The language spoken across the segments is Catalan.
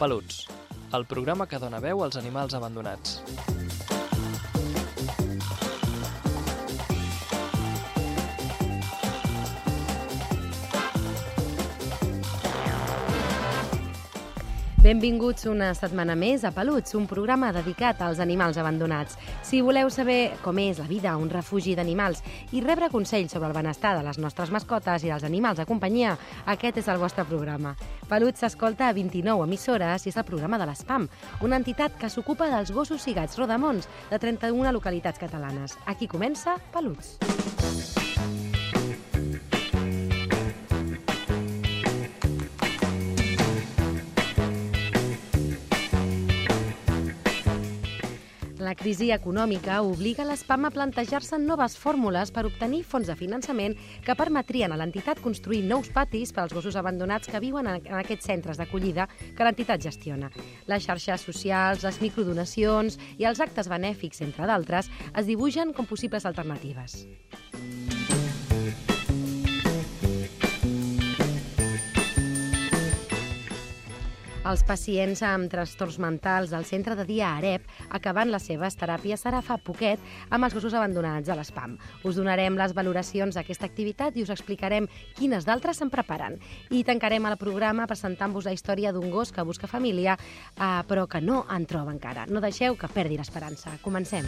Peluts, el programa que dona veu als animals abandonats. Benvinguts una setmana més a Peluts, un programa dedicat als animals abandonats. Si voleu saber com és la vida a un refugi d'animals i rebre consells sobre el benestar de les nostres mascotes i dels animals de companyia, aquest és el vostre programa. Peluts s'escolta a 29 emissores i és el programa de l'ESPAM, una entitat que s'ocupa dels gossos i gats rodamons de 31 localitats catalanes. Aquí comença Peluts. La crisi econòmica obliga l'ESPAM a plantejar-se noves fórmules per obtenir fons de finançament que permetrien a l'entitat construir nous patis per als gossos abandonats que viuen en aquests centres d'acollida que l'entitat gestiona. Les xarxes socials, les microdonacions i els actes benèfics, entre d'altres, es dibuixen com possibles alternatives. Els pacients amb trastorns mentals del centre de dia AREP acabant les seves teràpies serà fa poquet amb els gossos abandonats a l'ESPAM. Us donarem les valoracions d'aquesta activitat i us explicarem quines d'altres se'n preparen. I tancarem el programa presentant-vos la història d'un gos que busca família, però que no en troba encara. No deixeu que perdi l'esperança. Comencem.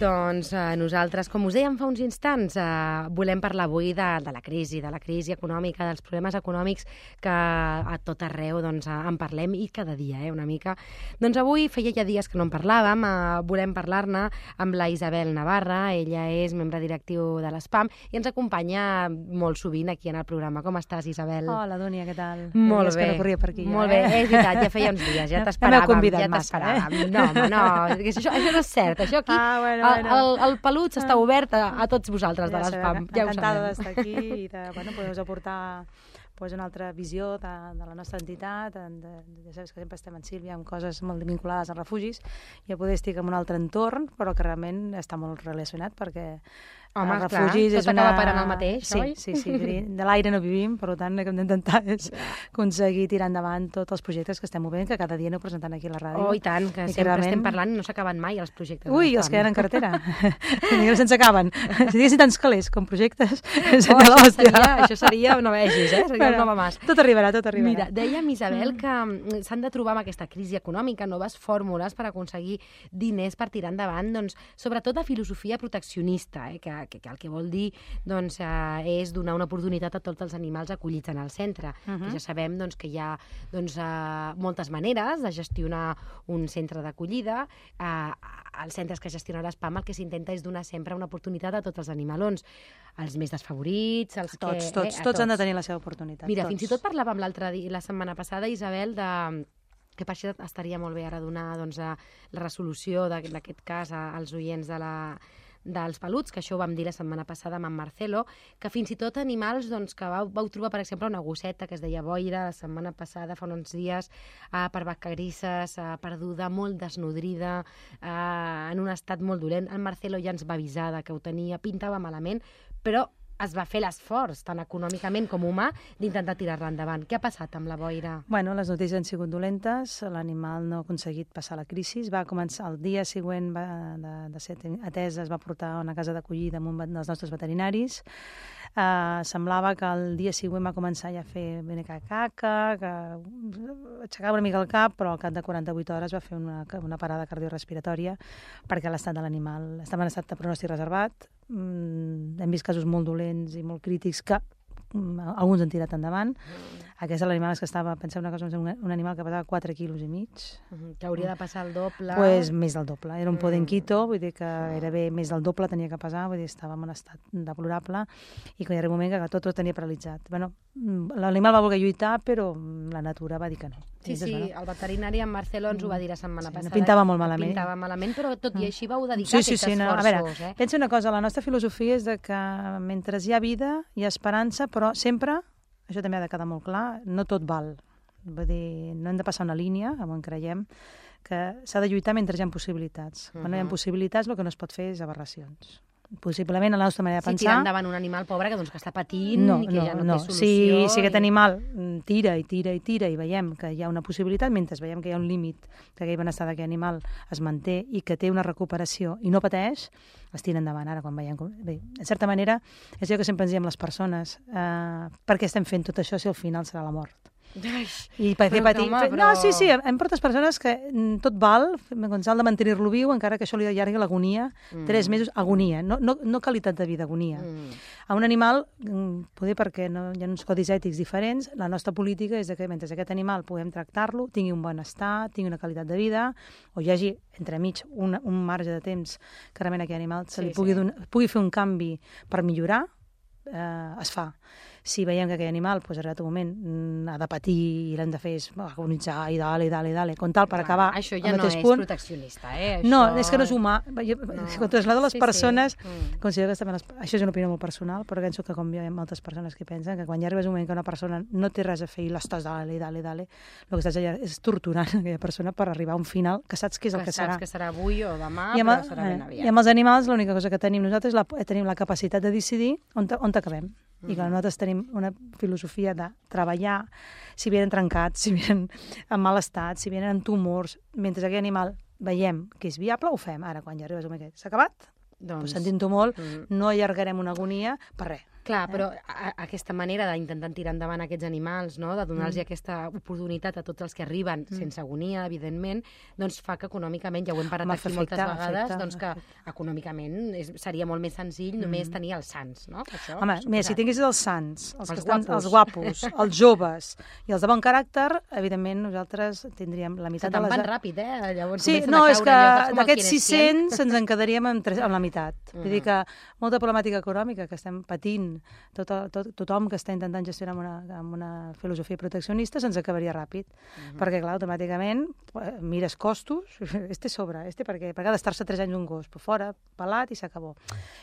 Doncs nosaltres, com us dèiem fa uns instants, volem parlar avui de la crisi econòmica, dels problemes econòmics que a tot arreu en parlem i cada dia, una mica. Doncs avui feia ja dies que no en parlàvem, volem parlar-ne amb la Isabel Navarra, ella és membre directiu de l'ESPAM i ens acompanya molt sovint aquí en el programa. Com estàs, Isabel? Hola, Dúnia, què tal? Molt bé. Que no corria per aquí. Molt bé, és veritat, ja feia uns dies, ja t'esperàvem. No, això no és cert, això aquí... El Peluts està obert a tots vosaltres de l'ESPAM, ja ho sabem. Encantada d'estar aquí i de poder-vos aportar una altra visió de la nostra entitat. Ja saps que sempre estem en Sílvia amb coses molt vinculades als refugis i a poder estic en un altre entorn, però que realment està molt relacionat perquè home, els refugis tot acaba parant el mateix, oi? Sí. De l'aire no vivim, per tant el que hem d'intentar és aconseguir tirar endavant tots els projectes que estem movent, que cada dia aneu presentant aquí a la ràdio. Oh, i tant, que sempre estem parlant i no s'acaben mai els projectes. Ui, els que hi ha en cartera. Se'ns acaben. Si diguessin tants calés com projectes, això seria, no vegis, seria un nova mas. Tot arribarà. Mira, dèiem, Isabel, que s'han de trobar amb aquesta crisi econòmica noves fórmules per aconseguir diners per tirar endavant, sobretot de filosofia proteccionista, que el que vol dir és donar una oportunitat a tots els animals acollits en el centre. Ja sabem que hi ha moltes maneres de gestionar un centre d'acollida. Els centres que gestiona l'ESPAM el que s'intenta és donar sempre una oportunitat a tots els animalons, els més desfavorits, tots han de tenir la seva oportunitat. Mira, fins i tot parlàvem la setmana passada, Isabel, que per això estaria molt bé ara donar la resolució d'aquest cas als oients dels Peluts, que això ho vam dir la setmana passada amb en Marcelo, que fins i tot animals que vau trobar, per exemple, una gosseta que es deia Boira la setmana passada, fa uns dies, per vacarisses, perduda, molt desnodrida, en un estat molt dolent. El Marcelo ja ens va avisar que ho tenia, pintava malament, però es va fer l'esforç, tant econòmicament com humà, d'intentar tirar-la endavant. Què ha passat amb la Boira? Bueno, les notícies han sigut dolentes, l'animal no ha aconseguit passar la crisi, va començar el dia següent de ser atesa, es va portar a una casa d'acollida amb un dels nostres veterinaris. Semblava que el dia següent va començar ja a fer beneca caca, que aixecava una mica el cap, però al cap de 48 hores va fer una parada cardiorrespiratòria perquè l'estat de l'animal estava en estat de pronòstic reservat. Hem vist casos molt dolents i molt crítics que alguns han tirat endavant. Aquest l'animal que estava, penseu una cosa, un animal que pesava 4 quilos i mig. Que hauria de passar el doble. Pues més del doble. Era un podenquito, vull dir que gairebé més del doble tenia que pesar, vull dir, estava en un estat deplorable, i que hi ha un moment que tot ho tenia paralitzat. Bueno, l'animal va voler lluitar, però la natura va dir que no. Sí, el veterinari en Marcelo ens ho va dir la setmana passada. No pintava molt malament. Pintava malament, però tot i així vau dedicar aquests esforços. A veure, pensa una cosa, la nostra filosofia és de que mentre hi ha vida, hi ha esperança, però sempre, això també ha de quedar molt clar, no tot val. Vull dir, no hem de passar una línia, on creiem, que s'ha de lluitar mentre hi ha possibilitats. Quan no hi ha possibilitats, el que no es pot fer és aberracions. Possiblement, a la nostra manera de pensar... tirar endavant un animal pobre que està patint i que ja no té solució. Si aquest animal tira i veiem que hi ha una possibilitat, mentre veiem que hi ha un límit, que aquell benestar d'aquest animal es manté i que té una recuperació i no pateix, es tira endavant. Ara, quan veiem... Bé, en certa manera, és allò que sempre ens diem les persones, per què estem fent tot això si al final serà la mort? I per què patir? No, sí, em portes persones que tot val, quan s'ha de mantenir-lo viu, encara que això li allargui l'agonia, 3 mesos, agonia, no qualitat de vida, agonia. A un animal, poder perquè hi ha uns codis ètics diferents, la nostra política és que mentre aquest animal puguem tractar-lo, tingui un benestar, tingui una qualitat de vida, o hi hagi entremig un marge de temps que realment aquest animal se li pugui fer un canvi per millorar, es fa. Si veiem que aquell animal, doncs, arribat un moment, ha de patir i l'hem de fer agonitzar i dale, com tal, per acabar això ja no és proteccionista, No, és que no és humà. Quan trasllado a les persones, considero que això és una opinió molt personal, però penso que com hi ha moltes persones que pensen que quan ja arribes un moment que una persona no té res a fer i l'estàs dale, el que estàs allà és torturant aquella persona per arribar a un final que saps que és el que serà. Que serà avui o demà, però serà ben aviat. I amb els animals l'única cosa que tenim nosaltres tenim la capacitat de decidir on acabem. I que nosaltres tenim una filosofia de treballar, si vienen trencats, si vienen en mal estat, si vienen amb tumors, mentre aquell animal veiem que és viable, ho fem. Ara, quan ja arribes a un moment que s'ha acabat, doncs sentint-ho molt, no allargarem una agonia per res. Clar, però aquesta manera d'intentar tirar endavant aquests animals, no? De donar-los aquesta oportunitat a tots els que arriben, sense agonia, evidentment, doncs fa que econòmicament, ja ho hem parat aquí moltes vegades, doncs que econòmicament seria molt més senzill només tenir els sants, no? Home, mira, si tinguessis els sants, els guapos, els joves i els de bon caràcter, evidentment nosaltres tindríem la meitat de les... Se te'n van ràpid, Llavors sí, no, és que d'aquests 600 ens en quedaríem amb la meitat. Vull dir que molta problemàtica econòmica que estem patint, tothom que està intentant gestionar amb una filosofia proteccionista se'ns acabaria ràpid, perquè clar, automàticament mires costos, sobre, per què? Perquè ha d'estar-se 3 anys un gos, però fora, pelat i s'acabó.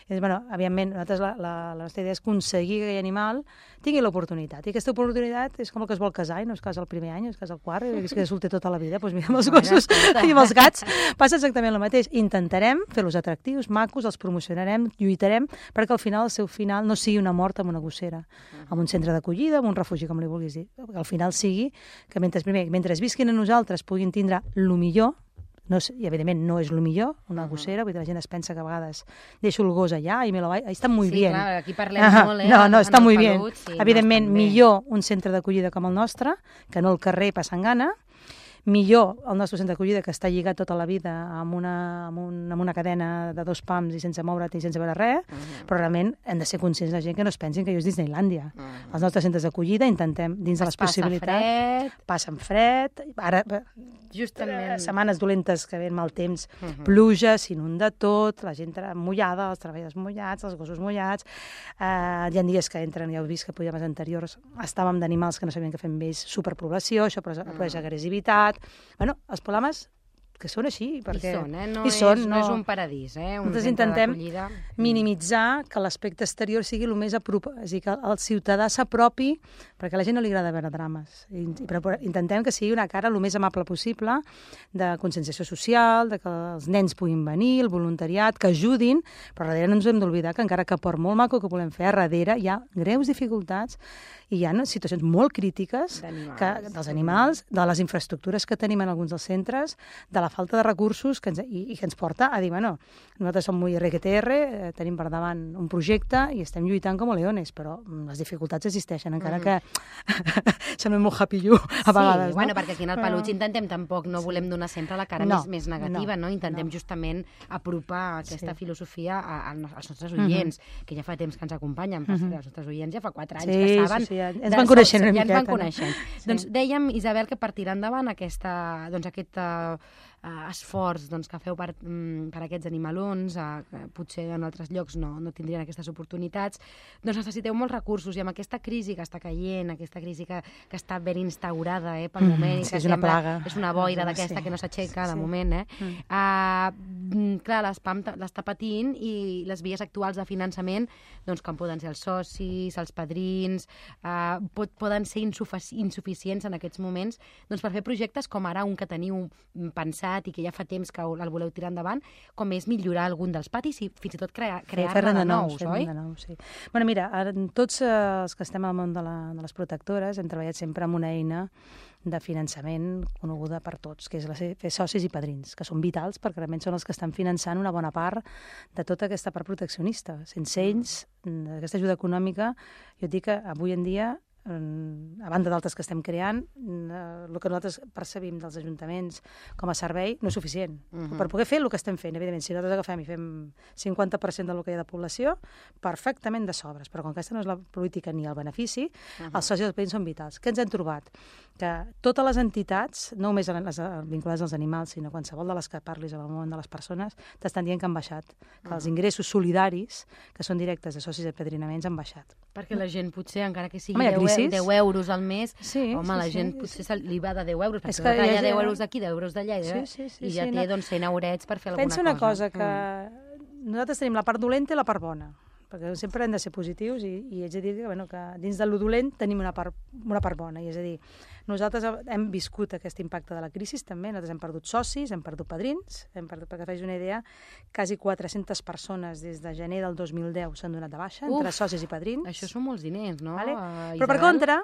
Bueno, evidentment, nosaltres la nostra idea és aconseguir que aquell animal tingui l'oportunitat, i aquesta oportunitat és com el que es vol casar, i no es casa el primer any, es casa el quart, i es queda solter tota la vida, doncs mira, amb els gossos i amb els gats passa exactament el mateix. Intentarem fer-los atractius, macos, els promocionarem, lluitarem, perquè al final, el seu final, no sigui una mort amb una gossera, amb un centre d'acollida, amb un refugi, com li vulguis dir. Al final sigui que mentre visquin a nosaltres puguin tindre el millor, i evidentment no és el millor, una gossera, vull dir, la gent es pensa que a vegades deixo el gos allà i me lo vaig... Està molt bé. Sí, clar, aquí parlem molt, No, està molt bé. Evidentment, millor un centre d'acollida com el nostre, que no el carrer passant gana, millor el nostre centre d'acollida, que està lligat tota la vida amb una cadena de 2 pams i sense moure't i sense veure res, però realment hem de ser conscients de gent que no es pensin que allò és Disneylàndia. Els nostres centres d'acollida intentem, dins de les possibilitats... Passen fred. Ara, justament, setmanes dolentes que ve mal temps, pluja, s'inunda tot, la gent mullada, els treballadors mullats, els gossos mullats. Hi ha dies que entren, ja heu vist que programes anteriors estàvem d'animals que no sabien què fer amb ells, superpoblació, això produeix agressivitat. Bueno, els problemes que són així, perquè... No és un paradís, Nosaltres intentem minimitzar que l'aspecte exterior sigui el més apropat, és a dir, que el ciutadà s'apropi, perquè a la gent no li agrada veure drames. Però intentem que sigui una cara el més amable possible, de conscienciació social, de que els nens puguin venir, el voluntariat, que ajudin, però darrere no ens hem d'oblidar que encara que per molt maco que volem fer, darrere hi ha greus dificultats i hi ha situacions molt crítiques dels animals, de les infraestructures que tenim en alguns dels centres, de la la falta de recursos que ens porta a dir, bueno, nosaltres som muy RQTR, tenim per davant un projecte i estem lluitant com a leones, però les dificultats existeixen, encara que semblem molt happy you a vegades. Sí, bueno, perquè aquí en el Peluig intentem tampoc, no volem donar sempre la cara més negativa, no? Intentem justament apropar aquesta filosofia als nostres oients, que ja fa temps que ens acompanyen, els nostres oients ja fa 4 anys que saben. Sí, ens van coneixent una miqueta. Ja ens van coneixent. Doncs dèiem, Isabel, que per tirar endavant aquest esforç que feu per aquests animalons, potser en altres llocs no tindrien aquestes oportunitats, doncs necessiteu molts recursos, i amb aquesta crisi que està caient, aquesta crisi que està ben instaurada pel moment, és una plaga. És una boira d'aquesta que no s'aixeca de moment, clar, l'ESPAM l'està patint, i les vies actuals de finançament, doncs com poden ser els socis, els padrins, poden ser insuficients en aquests moments per fer projectes com ara un que teniu pensat i que ja fa temps que el voleu tirar endavant, com és millorar algun dels patis i fins i tot crear-ne de nous, oi? Sí. Bueno, mira, tots els que estem al món de les protectores hem treballat sempre amb una eina de finançament coneguda per tots, que és fer socis i padrins, que són vitals perquè realment són els que estan finançant una bona part de tota aquesta part proteccionista. Sense ells, aquesta ajuda econòmica, jo et dic que avui en dia, a banda d'altres que estem creant, el que nosaltres percebim dels ajuntaments com a servei no és suficient. Per poder fer el que estem fent, evidentment, si nosaltres agafem i fem 50% del que hi ha de població, perfectament de sobres, però com que aquesta no és la política ni el benefici, els socis dels padrins són vitals. Què ens hem trobat? Que totes les entitats, no només les vinculades als animals, sinó qualsevol de les que parlis en el món de les persones, t'estan dient que han baixat, que els ingressos solidaris, que són directes de socis i apadrinaments, han baixat. Perquè la gent potser, encara que sigui 10 euros al mes, la gent potser li va de 10 euros, perquè va tallar 10 euros d'aquí, 10 euros d'allà, i ja té 100 eurets per fer alguna cosa. Pensa una cosa, que nosaltres tenim la part dolenta i la part bona, perquè sempre hem de ser positius, i haig de dir que dins de lo dolent tenim una part bona, i és a dir, nosaltres hem viscut aquest impacte de la crisi també, nosaltres hem perdut socis, hem perdut padrins, perquè facis una idea, quasi 400 persones des de gener del 2010 s'han donat de baixa, entre socis i padrins. Això són molts diners, no? Però per contra,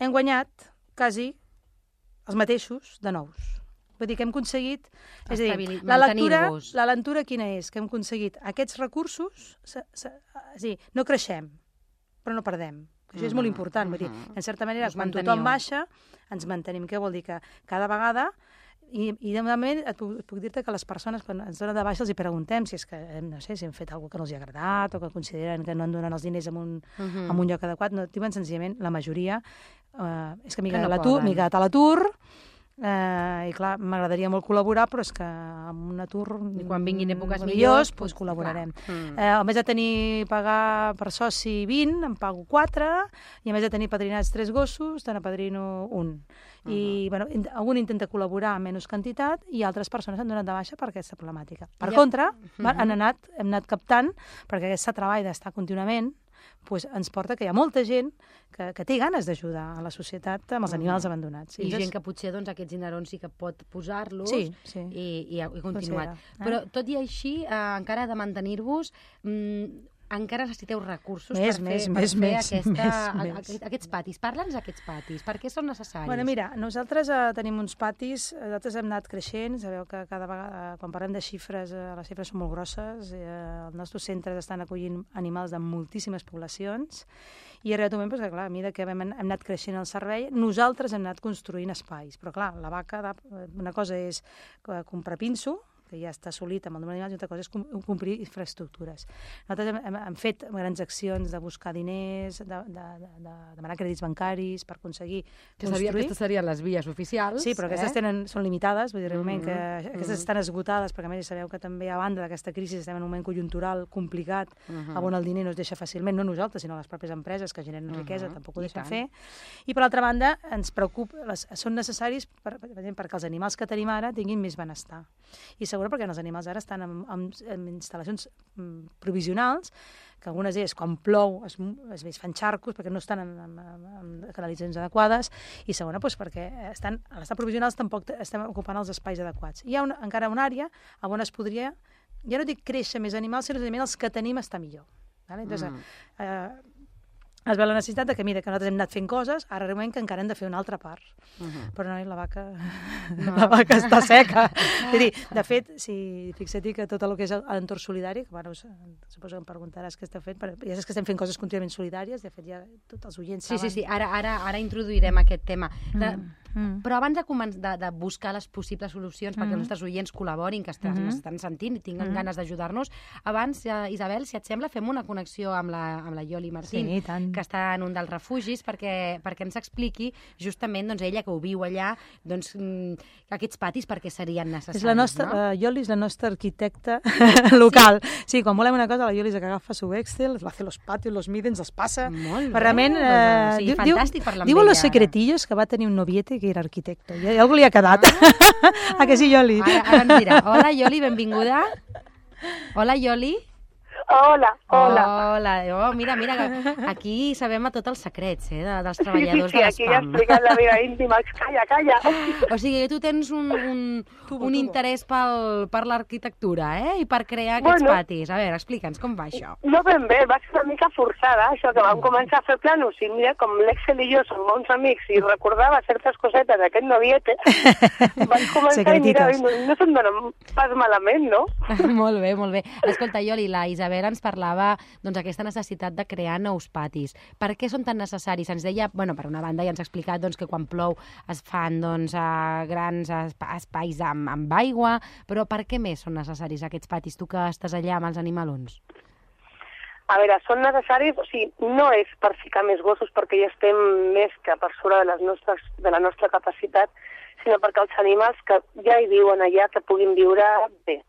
hem guanyat quasi els mateixos de nous. Vull dir que hem aconseguit... És a dir, la lectura quina és? Que hem aconseguit aquests recursos, no creixem, però no perdem. Això és molt important. Vull dir, en certa manera, quan tothom baixa, ens mantenim. Què vol dir? Que cada vegada... I de moment puc dir-te que les persones, quan ens donen de baixa, els hi preguntem si és que, no sé, si hem fet alguna cosa que no els ha agradat o que consideren que no en donen els diners en un lloc adequat. No, diuen senzillament, la majoria, és que m'he quedat a l'atur, i clar, m'agradaria molt col·laborar, però és que amb un atur... I quan vinguin èpoques millors, doncs col·laborarem. A més de pagar per soci 20, em pago 4, i a més de tenir padrinats 3 gossos, te n'apadrino 1. I algun intenta col·laborar amb menys quantitat i altres persones han donat de baixa per aquesta problemàtica. Per contra, hem anat captant, perquè aquest treball d'estar contínuament ens porta que hi ha molta gent que té ganes d'ajudar a la societat amb els animals abandonats. I gent que potser aquests dinerons sí que pot posar-los i continuar. Però tot i així, encara de mantenir-vos, encara necessiteu recursos per fer aquests patis. Parla'ns d'aquests patis. Per què són necessaris? Bueno, mira, nosaltres tenim uns patis, nosaltres hem anat creixent, sabeu que cada vegada, quan parlem de xifres, les xifres són molt grosses, els nostres centres estan acollint animals de moltíssimes poblacions, i arribat un moment que, clar, a mesura que hem anat creixent el servei, nosaltres hem anat construint espais. Però, clar, la vaca, una cosa és comprar pinso, que ja està assolit amb el número d'animals, i altra cosa és complir infraestructures. Nosaltres hem fet grans accions de buscar diners, de demanar crèdits bancaris per aconseguir construir. Aquestes serien les vies oficials. Sí, però aquestes són limitades, vull dir, realment que aquestes estan esgotades, perquè a més sabeu que també a banda d'aquesta crisi estem en un moment conjuntural complicat, on el diner no es deixa fàcilment, no nosaltres, sinó les pròpies empreses que generen riquesa, tampoc ho deixen fer. I per altra banda, ens preocupa, són necessaris perquè els animals que tenim ara tinguin més benestar. I segurament perquè els animals ara estan en instal·lacions provisionals, que algunes d'elles, quan plou, es fan xarcos perquè no estan en canalitzacions adequades, i segona, perquè a l'estat provisionals tampoc estem ocupant els espais adequats. Hi ha encara una àrea on es podria, ja no dic créixer més animals, sinó que els que tenim estar millor. es veu la necessitat de que, mira, que nosaltres hem anat fent coses, ara arribem que encara hem de fer una altra part. Però no, la vaca està seca. És a dir, de fet, si fixa't que tot el que és l'entorn solidari, que bueno, suposo que em preguntaràs què esteu fent, ja saps que estem fent coses contínuament solidàries, de fet ja tots els oients saben. Sí, ara introduirem aquest tema. Però abans de buscar les possibles solucions perquè els nostres oients col·laborin, que estan sentint i tinguen ganes d'ajudar-nos, abans, Isabel, si et sembla, fem una connexió amb la Ioli Martín, que està en un dels refugis, perquè ens expliqui justament ella que ho viu allà, aquests patis per què serien necessaris. La Ioli és la nostra arquitecta local. Sí, quan volem una cosa, la Ioli és que agafa su Excel, hace los patios, los mide, ens els passa. Molt bé. Fantàstic parlar amb ella. Diu los secretillos que va tenir un noviete que era arquitecte. I algú li ha quedat. A que sí, Ioli? Ara ens dirà. Hola, Ioli, benvinguda. Hola, Ioli. Hola. Oh, mira, aquí sabem a tots els secrets dels treballadors de l'espam. Sí, aquí ja explicat la meva íntima. Calla. O sigui, tu tens un interès per l'arquitectura, i per crear aquests patis. A veure, explica'ns com va això. No ben bé, va ser una mica forçada, això que vam començar a fer planos, i mira, com l'Excel i jo som bons amics i recordava certes cosetes d'aquest noviete, vaig començar i mira, no se'n dona pas malament, no? Molt bé. Escolta, Ioli, la Isabel ens parlava aquesta necessitat de crear nous patis. Per què són tan necessaris? Ens deia, per una banda ja ens ha explicat que quan plou es fan grans espais amb aigua, però per què més són necessaris aquests patis, tu que estàs allà amb els animalons? A veure, són necessaris, o sigui, no és per ficar més gossos perquè ja estem més que per sobre de la nostra capacitat, sinó perquè els animals que ja hi viuen allà que puguin viure bé.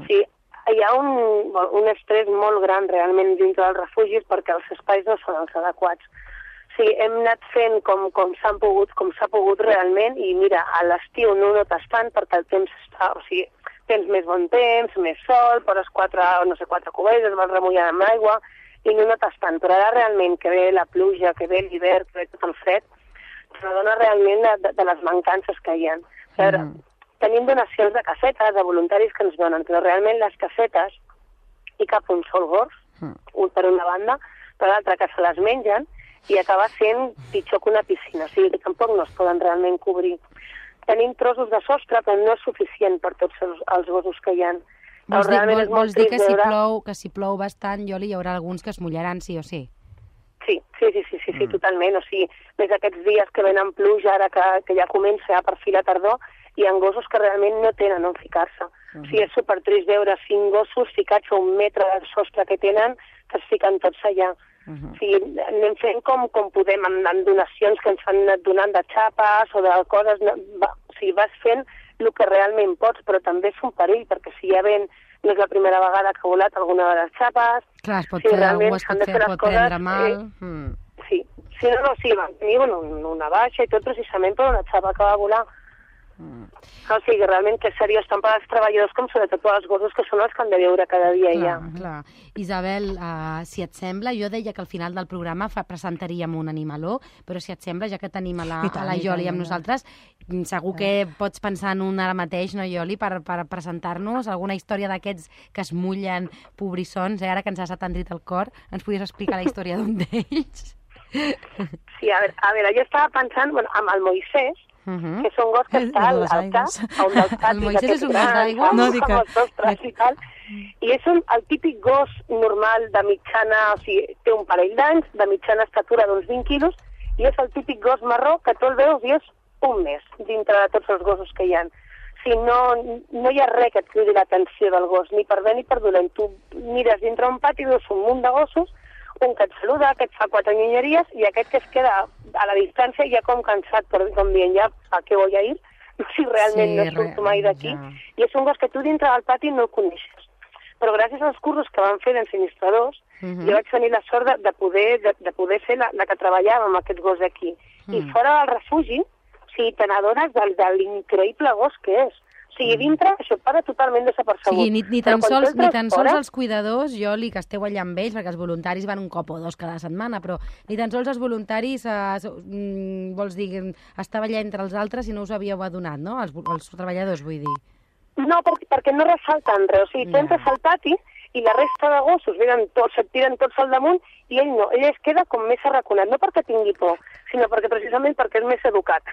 Sí, hi ha un estrès molt gran realment dintre dels refugis perquè els espais no són els adequats. Sí, hem anat fent com s'ha pogut realment i mira, a l'estiu no notes tant perquè el temps està, o sigui, tens més bon temps, més sol, poses 4 cubells, es vas remullant amb l'aigua i no notes tant, però ara realment que ve la pluja, que ve l'hivern, que ve tot el fred, s'adona realment de les mancances que hi ha. A veure, tenim donacions de casetes, de voluntaris que ens donen, però realment les casetes hi cap un sol gos, un per una banda, per l'altra que se les mengen i acaba sent pitjor que una piscina, o sigui que tampoc no es poden realment cobrir. Tenim trossos de sostre, però no és suficient per tots els gossos que hi ha. Vols dir que si plou bastant, Ioli, hi haurà alguns que es mullaran sí o sí? Sí, totalment. O sigui, més aquests dies que venen pluja, ara que ja comença per fi la tardor, hi ha gossos que realment no tenen on ficar-se. O sigui, és supertrist veure 5 gossos ficats a 1 metre del sostre que tenen, que es fiquen tots allà. O sigui, anem fent com podem, amb donacions que ens han anat donant de xapes o de coses. O sigui, vas fent el que realment pots, però també és un perill, perquè si ja ven, no és la primera vegada que ha volat alguna de les xapes. Clar, es pot prendre mal. Sí, van tenir una baixa i tot precisament per una xapa que va volar. O sigui, realment que és seriós tant per als treballadors com sobretot per als gossos que són els que han de viure cada dia allà. Clar. Isabel, si et sembla, jo deia que al final del programa presentaríem un animaló, però si et sembla, ja que tenim a la Ioli amb nosaltres, segur que pots pensar en un ara mateix, no, Ioli, per presentar-nos alguna història d'aquests que es mullen pobrissons, ara que ens has atendrit el cor, ens podries explicar la història d'un d'ells? Sí, a veure, jo estava pensant amb el Moisès, que és un gos que està al cas, a un dels patis. El Moisès és un gos d'aigua? No, dic i és el típic gos normal de mitjana, o sigui, té un parell d'anys, de mitjana estatura d'uns 20 quilos, i és el típic gos marró que tu el veus i és un mes dintre de tots els gossos que hi ha. O sigui, no hi ha res que et cridi l'atenció del gos, ni per bé ni per dolent. Tu mires dintre un pati i veus un munt de gossos, un que et saluda, que et fa 4 nyonyeries, i aquest que es queda a la distància ja com cansat, com dient, ja, ¿a què voy a ir? Si realment no surto mai d'aquí. I és un gos que tu dintre del pati no el coneixes. Però gràcies als cursos que van fer d'ensenyistradors, jo vaig tenir la sort de poder ser la que treballava amb aquest gos aquí. I fora del refugi, o sigui, te n'adones de l'increïble gos que és. O sigui, dintre això para totalment desapercebut. Sí, ni tan sols els cuidadors, Ioli, que esteu allà amb ells, perquè els voluntaris van un cop o 2 cada setmana, però ni tan sols els voluntaris, vols dir, estava allà entre els altres i no us havíeu adonat, no? Els treballadors, vull dir. No, perquè no ressalten res. O sigui, tu entres al pati i la resta de gossos venen tots, se't tiren tots al damunt, i ell no, ell es queda com més arraconat, no perquè tingui por, sinó perquè precisament perquè és més educat.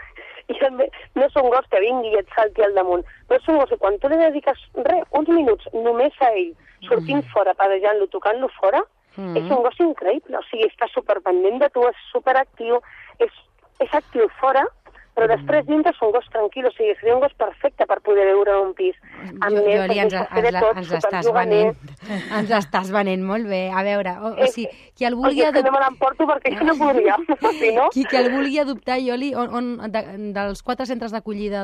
I no és un gos que vingui i et salti al damunt, però és un gos que quan tu li dediques uns minuts només a ell, sortint fora, padejant-lo, tocant-lo fora, és un gos increïble, o sigui, està superpendent de tu, és superactiu, és actiu fora, però després dintre és un gos tranquil, o sigui, seria un gos perfecte per poder viure en un pis. Joli, ens estàs venent molt bé. A veure, o sigui, qui el vulgui adoptar... no me l'emporto perquè jo no podria, si no... Qui el vulgui adoptar, Joli, dels 4 centres d'acollida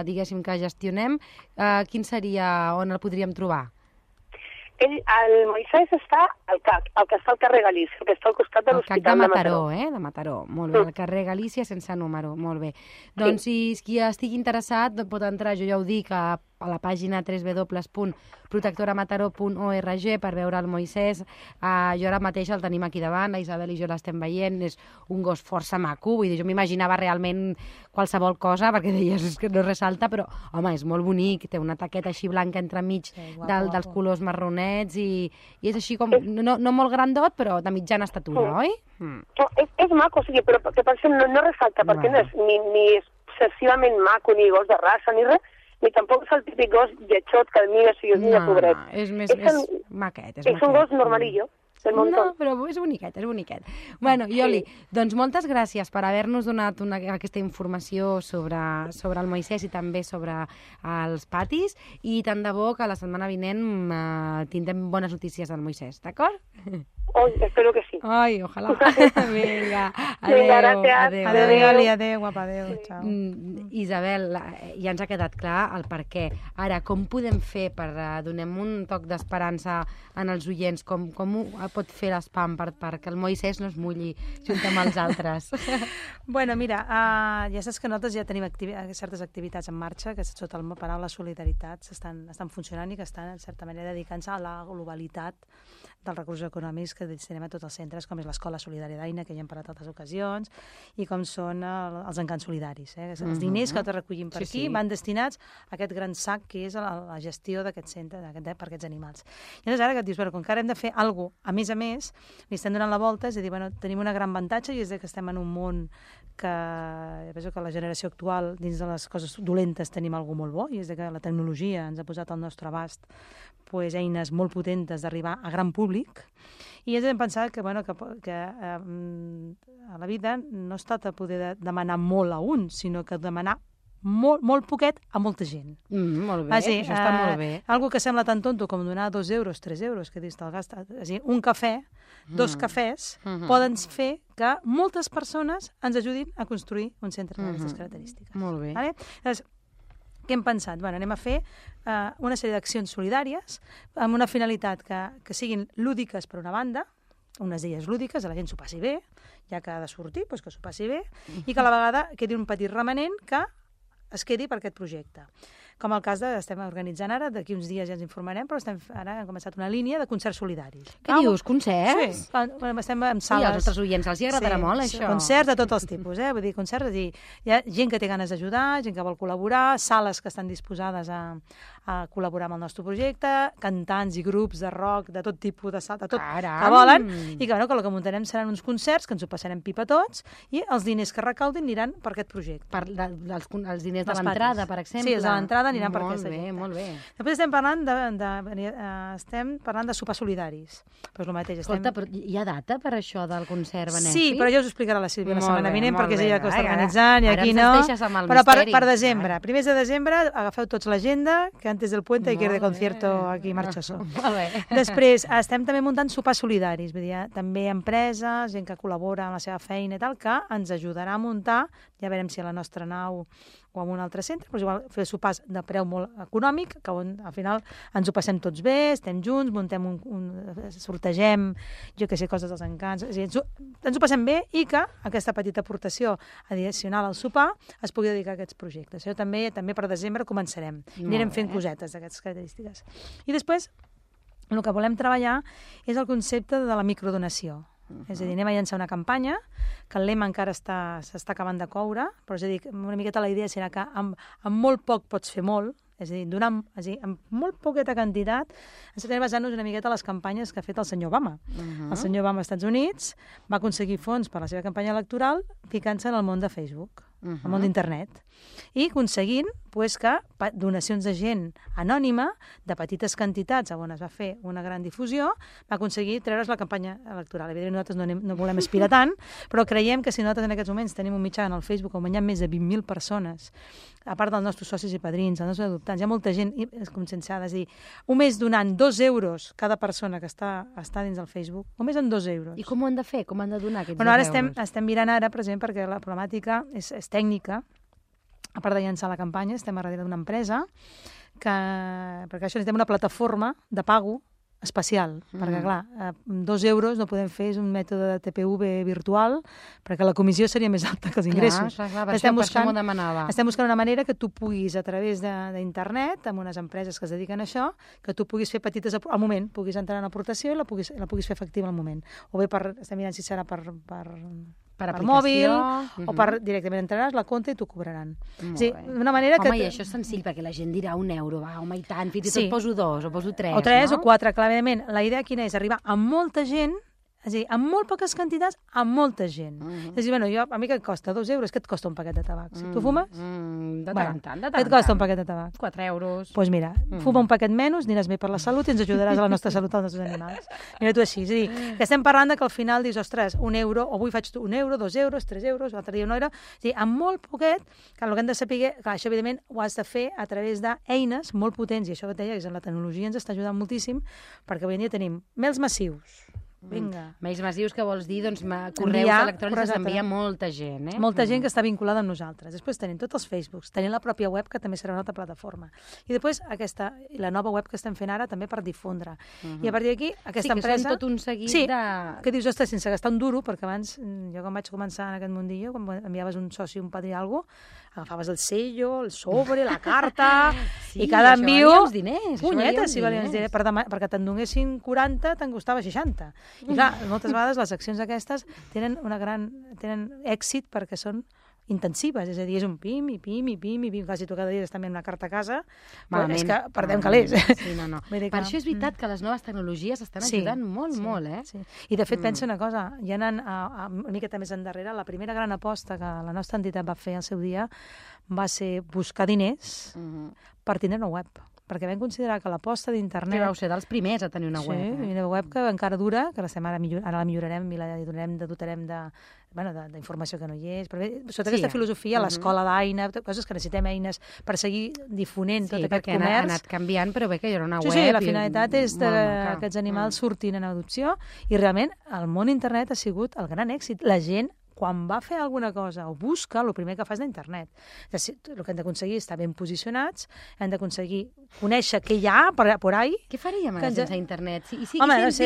diguéssim, que gestionem, quin seria on el podríem trobar? El Moisès està al CAC, el que està al carrer Galícia, que està al costat de l'Hospital de Mataró. De Mataró, molt bé, al carrer Galícia sense número, molt bé. Doncs si qui estigui interessat pot entrar, jo ja ho dic, a la pàgina www.protectoramataró.org per veure el Moisès. Jo ara mateix el tenim aquí davant, la Isabel i jo l'estem veient, és un gos força maco, vull dir, jo m'imaginava realment qualsevol cosa, perquè deies que no ressalta, però, home, és molt bonic, té una taqueta així blanca entremig dels colors marronets i és així com, no molt grandot, però de mitjana estatura, oi? És maco, o sigui, però que per això no ressalta, perquè no és ni excessivament maco, ni gos de raça, ni res, ni tampoc és el típic gos lletxot que el mires i dius, mira, pobret. És maquet. És un gos normalillo. No, però és boniquet, és boniquet. Bueno, Joli, doncs moltes gràcies per haver-nos donat aquesta informació sobre el Moisès i també sobre els patis, i tant de bo que la setmana vinent tindrem bones notícies del Moisès, d'acord? Espero que sí. Ai, ojalà. Vinga, gràcies. Adéu, Joli, adéu, guapa, adéu, xau. Isabel, ja ens ha quedat clar el per què. Ara, com podem fer per donem un toc d'esperança en els oients? Com ho pot fer l'espam perquè el Moisès no es mulli junt amb els altres? Bueno, mira, ja saps que nosaltres ja tenim certes activitats en marxa que sota la paraula solidaritat estan funcionant i que estan, en certa manera, dedicant-se a la globalitat dels recursos econòmics que destinem a tots els centres, com és l'Escola Solidària d'Aina, que ja hem parlat a altres ocasions, i com són els encants solidaris. Els diners que recollim per aquí van destinats a aquest gran sac que és la gestió d'aquest centre per aquests animals. I llavors ara que et dius, com que ara hem de fer alguna cosa, a més, li estem donant la volta, és a dir, tenim un gran avantatge i és que estem en un món que penso que la generació actual, dins de les coses dolentes, tenim alguna molt bo, i és que la tecnologia ens ha posat al nostre abast eines molt potentes d'arribar a gran públic, i hem pensat que a la vida no es tracta de poder demanar molt a un, sinó que demanar molt poquet a molta gent. Molt bé, això està molt bé. Algo que sembla tan tonto com donar 2 euros, 3 euros, que dius, te'l gasta. És a dir, un cafè, 2 cafès, poden fer que moltes persones ens ajudin a construir un centre d'aquestes característiques. Molt bé. Llavors, què hem pensat? Anem a fer una sèrie d'accions solidàries amb una finalitat que siguin lúdiques per una banda, unes d'elles lúdiques, la gent s'ho passi bé, ja que ha de sortir, doncs que s'ho passi bé, i que a la vegada quedi un petit remanent que es quedi per aquest projecte. Com el cas estem organitzant ara, d'aquí uns dies ja ens informarem, però ara hem començat una línia de concerts solidaris. Què dius, concerts? Sí, estem en sales. I als nostres oients els agradarà molt, això. Concerts de tots els tipus, vull dir, concerts, hi ha gent que té ganes d'ajudar, gent que vol col·laborar, sales que estan disposades a col·laborar amb el nostre projecte, cantants i grups de rock, de tot tipus de salt, de tot que volen, i que el que muntarem seran uns concerts, que ens ho passarem pipa tots, i els diners que recaudin aniran per aquest projecte. Els diners de l'entrada, per exemple. Sí, els de l'entrada aniran per aquesta gent. Molt bé. Després estem parlant de sopars solidaris. Però és el mateix. Escolta, però hi ha data per això del concert benèfic? Sí, però ja us ho explicarà la Sílvia la setmana vinent, perquè és ella que ho està organitzant, i aquí no. Ara ens deixes amb el però misteri. Per desembre, primers de desembre, agafeu tots l'agenda, que antes del puente hay que ir de concierto aquí marchoso. Després, estem també muntant sopars solidaris, vull dir, també empreses, gent que col·labora amb la seva feina i tal, que ens ajudarà a muntar, ja veurem si a la nostra nau o en un altre centre, però igual fer sopars de preu molt econòmic, que al final ens ho passem tots bé, estem junts, muntem sortegem, jo que sé, coses dels encants, ens ho passem bé i que aquesta petita aportació addicional al sopar es pugui dedicar a aquests projectes. Això també per desembre començarem. Anirem fent cosetes d'aquestes característiques. I després, el que volem treballar és el concepte de la microdonació. És a dir, anem a llançar una campanya, que el lema encara s'està acabant de coure, però és a dir, una miqueta la idea serà que amb molt poc pots fer molt, és a dir, amb molt poqueta quantitat, ens estem basant-nos una miqueta a les campanyes que ha fet el senyor Obama. El senyor Obama als Estats Units va aconseguir fons per la seva campanya electoral ficant-se en el món de Facebook, el món d'internet, i aconseguint que donacions de gent anònima, de petites quantitats, on es va fer una gran difusió, va aconseguir treure's la campanya electoral. Evidentment, nosaltres no volem aspirar tant, però creiem que si nosaltres en aquests moments tenim un mitjà en el Facebook on hi ha més de 20.000 persones, a part dels nostres socis i padrins, els nostres adoptants, hi ha molta gent conscienciada, és a dir, només donant 2 euros cada persona que està dins del Facebook, només amb 2 euros. I com ho han de fer? Com han de donar aquests 2 euros? Ara estem mirant ara, per exemple, perquè la problemàtica és tècnica. A part de llançar la campanya, estem a darrere d'una empresa perquè això necessitem una plataforma de pago especial, perquè clar, 2 euros no podem fer, és un mètode de TPV virtual, perquè la comissió seria més alta que els ingressos. Clar, per això m'ho demanava. Estem buscant una manera que tu puguis, a través d'internet, amb unes empreses que es dediquen a això, que tu puguis fer petites al moment, puguis entrar en aportació i la puguis fer efectiva al moment. O bé estem mirant si serà per mòbil, o directament entraràs la compte i t'ho cobraran. D'una manera que... Home, i això és senzill, perquè la gent dirà 1 euro, va, home, i tant, fins i tot poso 2, o poso 3, o 3 o 4, clarament. La idea quina és? Arribar a molta gent, és a dir, amb molt poques quantitats, amb molta gent. És a dir, a mi què et costa? 2 euros? Què et costa un paquet de tabac? Si tu fumes? De tant. Què et costa un paquet de tabac? 4 euros. Doncs mira, fuma un paquet menys, aniràs bé per la salut i ens ajudaràs a la nostra salut als nostres animals. Mira tu així. És a dir, que estem parlant que al final dius, ostres, 1 euro, o avui faig 1 euro, 2 euros, 3 euros, l'altre dia 1 euro. És a dir, amb molt poquet, que el que hem de saber, que això evidentment ho has de fer a través d'eines molt potents, i això que et deia, que la tecnologia ens està ajudant moltíssim, perquè avui en dia tenim mails massius. Vinga. Mails massius que vols dir, doncs, correus electrònics s'envia molta gent, Molta gent que està vinculada amb nosaltres. Després tenim tots els Facebooks, tenim la pròpia web, que també serà una altra plataforma. I després la nova web que estem fent ara també per difondre. I a partir d'aquí, aquesta empresa... Sí, que són tot un seguit de... que dius, ostres, sense gastar un duro, perquè abans, jo quan vaig començar en aquest mundillo, quan enviaves un soci, un padrí, alguna cosa, agafaves el sello, el sobre, la carta, i cada envio... Sí, diners. Punyetes, si valien els diners. Perquè te'n donguessin 40, te'n costava 60. I clar, moltes vegades les accions aquestes tenen èxit perquè són intensives, és a dir, és un pim, i pim, i pim, i pim. Clar, si tu cada dia estàs enviant una carta a casa, és que perdem calés. Sí, no. Per això és veritat que les noves tecnologies estan ajudant molt, molt, Sí. I de fet, pensa una cosa, ja anant una miqueta més endarrere, la primera gran aposta que la nostra entitat va fer al seu dia va ser buscar diners per tindre una web. Perquè vam considerar que l'aposta d'internet... Que vau ser dels primers a tenir una web. Sí, una web que encara dura, que ara la millorarem i la dotarem d'informació que no hi és. Però bé, sota aquesta filosofia, l'escola d'Aina, coses que necessitem eines per seguir difonent tot aquest comerç. Sí, perquè ha anat canviant, però bé que hi haurà una web... Sí, la finalitat és que aquests animals surtin en adopció i realment el món internet ha sigut el gran èxit. La gent quan va fer alguna cosa o busca, el primer que fa és d'internet. El que hem d'aconseguir és estar ben posicionats, hem d'aconseguir conèixer què hi ha por ahí. Què faríem sense internet? I si ens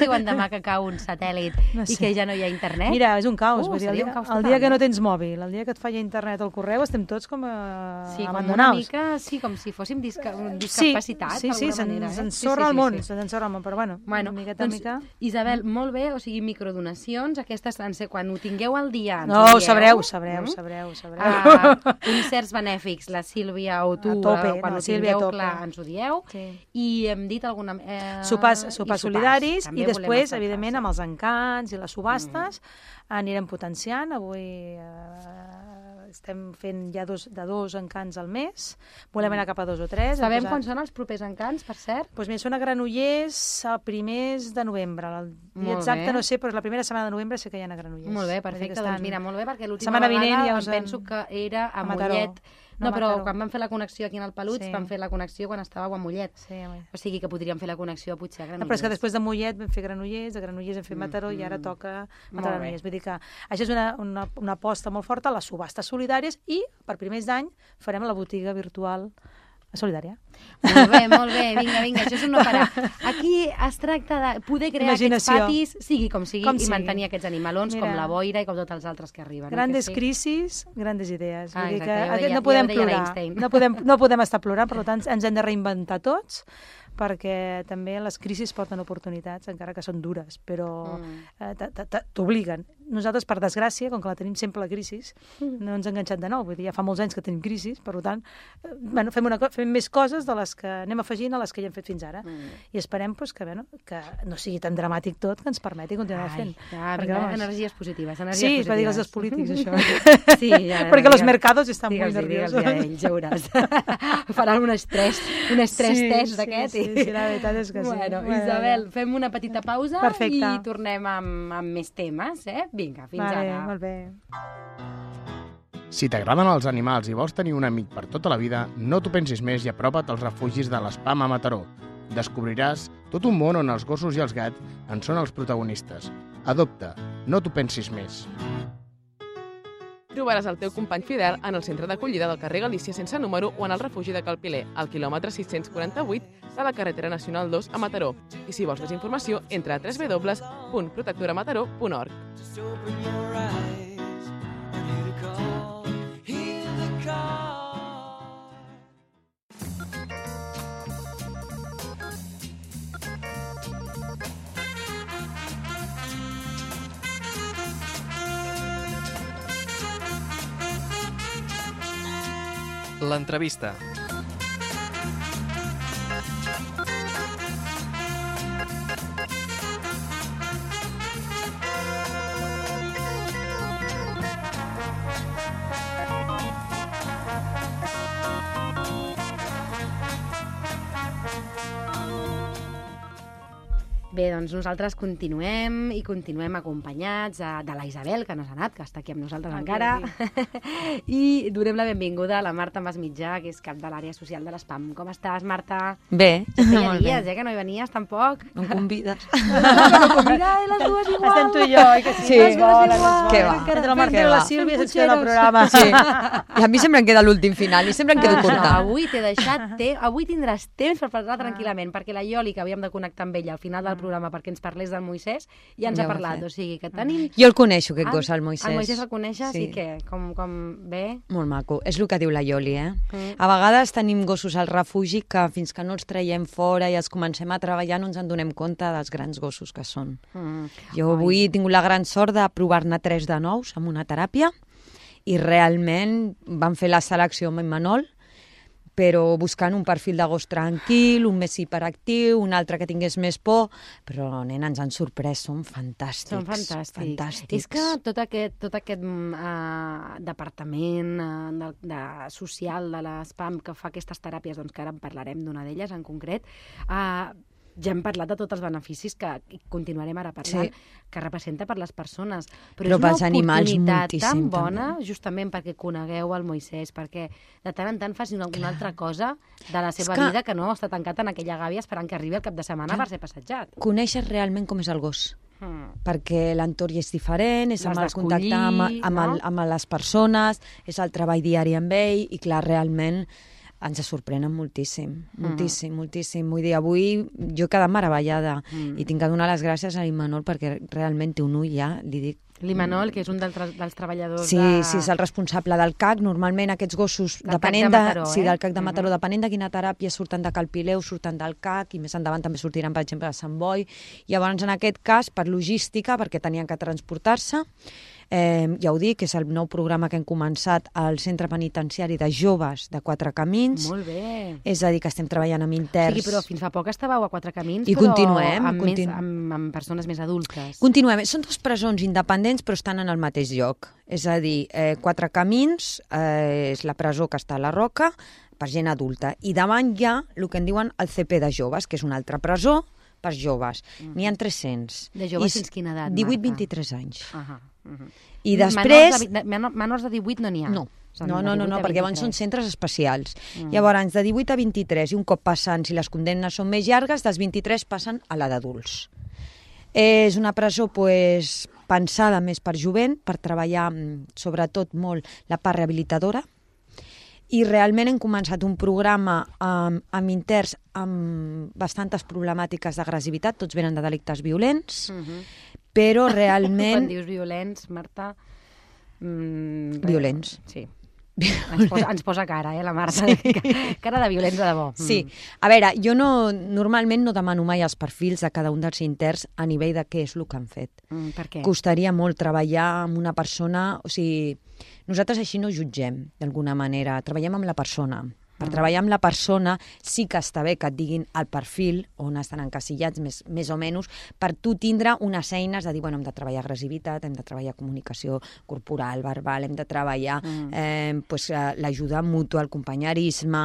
diuen demà que cau un satèl·lit i que ja no hi ha internet? Mira, és un caos. El dia que no tens mòbil, el dia que et falla internet al correu, estem tots com abandonaus. Sí, com si fóssim discapacitats, d'alguna manera. Se'ns ensorra el món, però bueno, miqueta en mica. Isabel, molt bé, o sigui, microdonacions, aquestes van ser quan ho tingueu al dia. No, ho sabreu. Concerts benèfics, la Sílvia o tu, quan ho tingueu clar, ens ho dieu. I hem dit alguna... Sopars solidaris i després, evidentment, amb els encants i les subhastes anirem potenciant. Avui estem fent ja de 2 encants al mes. Volem anar cap a 2 o 3. Sabem quan són els propers encants, per cert? Doncs mira, són a Granollers a primers de novembre. El dia exacte no sé, però la primera setmana de novembre sé que hi ha a Granollers. Molt bé, perfecte. Doncs mira, molt bé, perquè l'última vegada em penso que era a Mollet. No, però quan vam fer la connexió aquí en el Peluts, vam fer la connexió quan estàveu a Mollet. O sigui que podríem fer la connexió potser a Granollers. Però és que després de Mollet vam fer Granollers, de Granollers hem fet Mataró i ara toca Mataró-Granollers. Vull dir que això és una aposta molt forta, les subhastes solidàries, i per primers d'any farem la botiga virtual solidària. Molt bé, vinga, això és un no parar. Aquí es tracta de poder crear aquests patis, sigui com sigui, i mantenir aquests animalons com la boira i com tots els altres que arriben. Grandes crisis, grandes idees. Vull dir que no podem plorar, no podem estar plorant, per tant ens hem de reinventar tots, perquè també les crisis porten oportunitats, encara que són dures, però t'obliguen. nosaltres, per desgràcia, com que la tenim sempre la crisi, no ens ha enganxat de nou. Vull dir, ja fa molts anys que tenim crisi, per tant, fem més coses de les que anem afegint a les que ja hem fet fins ara. I esperem que no sigui tan dramàtic tot, que ens permeti continuar fent. Energies positives. Sí, va dir els polítics, això. Sí, perquè els mercados estan molt nerviosos. Digue'ls, ja veuràs. Faran un estrès test d'aquest. Sí, la veritat és que sí. Bueno, Isabel, fem una petita pausa i tornem amb més temes, Vinga, fins ara. Molt bé. Si t'agraden els animals i vols tenir un amic per tota la vida, no t'ho pensis més i apropa't als refugis de l'Espam a Mataró. Descobriràs tot un món on els gossos i els gats en són els protagonistes. Adopta, no t'ho pensis més. Trobaràs el teu company fidel en el centre d'acollida del carrer Galícia sense número o en el refugi de Calpiler, al quilòmetre 648 de la carretera nacional 2 a Mataró. I si vols més informació, entra a www.protectoramataró.org. L'entrevista. Bé, doncs nosaltres continuem acompanyats de la Isabel, que no s'ha anat, que està aquí amb nosaltres encara, i donem la benvinguda a la Marta Masmitjà, que és cap de l'àrea social de l'Espam. Com estàs, Marta? Bé, feia dies, que no hi venies tampoc. No em convides. Mira, les dues igual. Estem tu i jo, que sí. Sí, què va? Entre la Marta i la Sílvia se'ns queda el programa. Sí. I a mi sempre em queda l'últim final i sempre em quedo curta. Avui t'he deixat avui tindràs temps per parlar tranquil·lament, perquè la Ioli, que havíem de connectar amb ella al final del programa perquè ens parlés del Moisès, ja ens ha parlat. O sigui, que tenim... Jo el coneixo, aquest gos, el Moisès. El Moisès el coneixes i què? Com bé? Molt maco. És el que diu la Ioli, A vegades tenim gossos al refugi que fins que no els traiem fora i els comencem a treballar no ens en donem compte dels grans gossos que són. Jo avui he tingut la gran sort de provar-ne 3 de nous amb una teràpia i realment vam fer la selecció amb en Manol, però buscant un perfil de gos tranquil, un més hiperactiu, un altre que tingués més por, però, nena, ens han sorprès, són fantàstics. Són fantàstics. És que tot aquest departament social de l'Espam que fa aquestes teràpies, doncs que ara en parlarem d'una d'elles en concret, ja hem parlat de tots els beneficis que continuarem ara parlant, que representa per les persones. Però és una oportunitat tan bona, justament perquè conegueu el Moisès, perquè de tant en tant faci alguna altra cosa de la seva vida que no està tancat en aquella gàbia esperant que arribi el cap de setmana per ser passejat. Coneixes realment com és el gos. Perquè l'entorn és diferent, és amb el contacte amb les persones, és el treball diari amb ell, i clar, realment ens sorprenen moltíssim. Vull dir, avui jo he quedat meravellada i tinc que donar les gràcies a l'Imanol perquè realment té un ull ja, li dic. L'Imanol, que és un dels treballadors Sí, és el responsable del CAC. Normalment aquests gossos, depenent del CAC de Mataró, depenent de quina teràpia surten de Calpileu, surten del CAC, i més endavant també sortiran, per exemple, de Sant Boi. Llavors, en aquest cas, per logística, perquè tenien que transportar-se, ja ho dic, és el nou programa que hem començat al Centre Penitenciari de Joves de Quatre Camins. Molt bé. És a dir, que estem treballant amb interns. Sí, però fins fa poc estàveu a Quatre Camins, I però continuem, amb persones més adultes. Continuem. Són 2 presons independents, però estan en el mateix lloc. És a dir, Quatre Camins és la presó que està a la Roca per gent adulta. I davant hi ha el que en diuen el CP de joves, que és una altra presó per joves. N'hi ha 300. De joves fins quina edat, Marta? 18-23 anys. I després... Menors de 18 no n'hi ha? No, perquè llavors són centres especials. Llavors, de 18 a 23, i un cop passen, si les condemnes són més llargues, dels 23 passen a la d'adults. És una presó pensada més per jovent, per treballar sobretot molt la part rehabilitadora, i realment hem començat un programa amb interns amb bastantes problemàtiques d'agressivitat, tots venen de delictes violents, però realment... Quan dius violents, Marta... Violents. Sí. Ens posa cara, la Marta. Sí. Cara de violents de debò. Sí. A veure, jo normalment no demano mai els perfils de cada un dels interns a nivell de què és el que han fet. Per què? Costaria molt treballar amb una persona... O sigui, nosaltres així no jutgem, d'alguna manera. Treballem amb la persona. Per treballar amb la persona sí que està bé que et diguin el perfil on estan encasillats, més o menys, per tu tindre unes eines de dir, bueno, hem de treballar agressivitat, hem de treballar comunicació corporal, verbal, hem de treballar l'ajuda mútua, el companyerisme...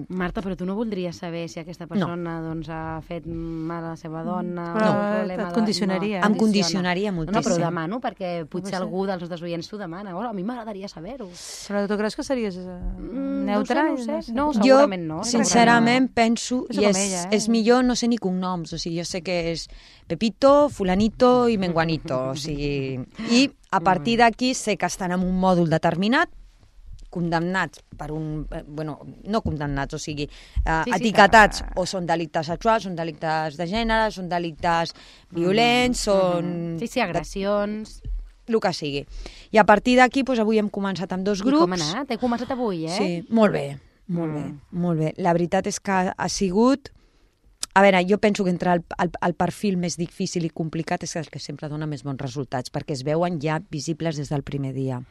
Marta, però tu no voldries saber si aquesta persona ha fet mal a la seva dona... Però et condicionaria. Em condicionaria moltíssim. No, però ho demano, perquè potser algú dels nostres oients t'ho demana. A mi m'agradaria saber-ho. Però tu creus que series neutre? No sé. No, segurament no. Jo, sincerament, penso, i ella, és millor, no sé ni cognoms, o sigui, jo sé que és Pepito, Fulanito i Menguanito, o sigui... I a partir d'aquí sé que estan en un mòdul determinat, condemnats per un... Bueno, no condemnats, o sigui, etiquetats, o són delictes sexuals, són delictes de gènere, són delictes violents, són... Sí, agressions... El que sigui. I a partir d'aquí, avui hem començat amb 2 grups. I com ha anat? He començat avui, Sí, molt bé, molt bé. La veritat és que ha sigut... A veure, jo penso que entre el perfil més difícil i complicat és el que sempre dona més bons resultats, perquè es veuen ja visibles des del primer dia.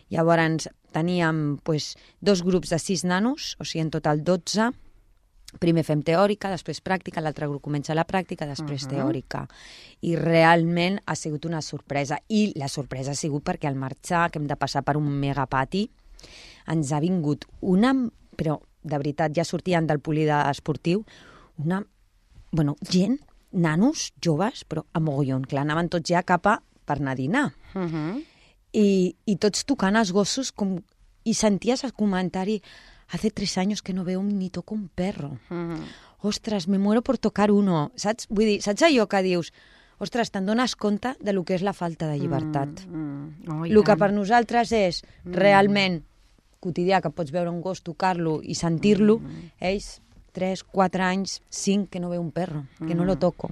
Llavors, teníem 2 grups de 6 nanos, o sigui, en total 12. Primer fem teòrica, després pràctica, l'altre grup comença la pràctica, després teòrica. I realment ha sigut una sorpresa. I la sorpresa ha sigut perquè al marxar, que hem de passar per un megapati, ens ha vingut una... Però, de veritat, ja sortien del poliesportiu, una... Bueno, gent, nanos, joves, però a mogollon. Clar, anaven tots ja cap a per anar a dinar. I tots tocant els gossos i senties el comentari... Hace 3 años que no veo ni toco un perro. Ostres, me muero por tocar uno. Saps? Vull dir, saps allò que dius? Ostres, te'n dones compte de lo que és la falta de llibertat. El que per nosaltres és realment quotidià, que pots veure un gos, tocar-lo i sentir-lo, ells 3, 4 anys, 5, que no veu un perro, que no lo toco.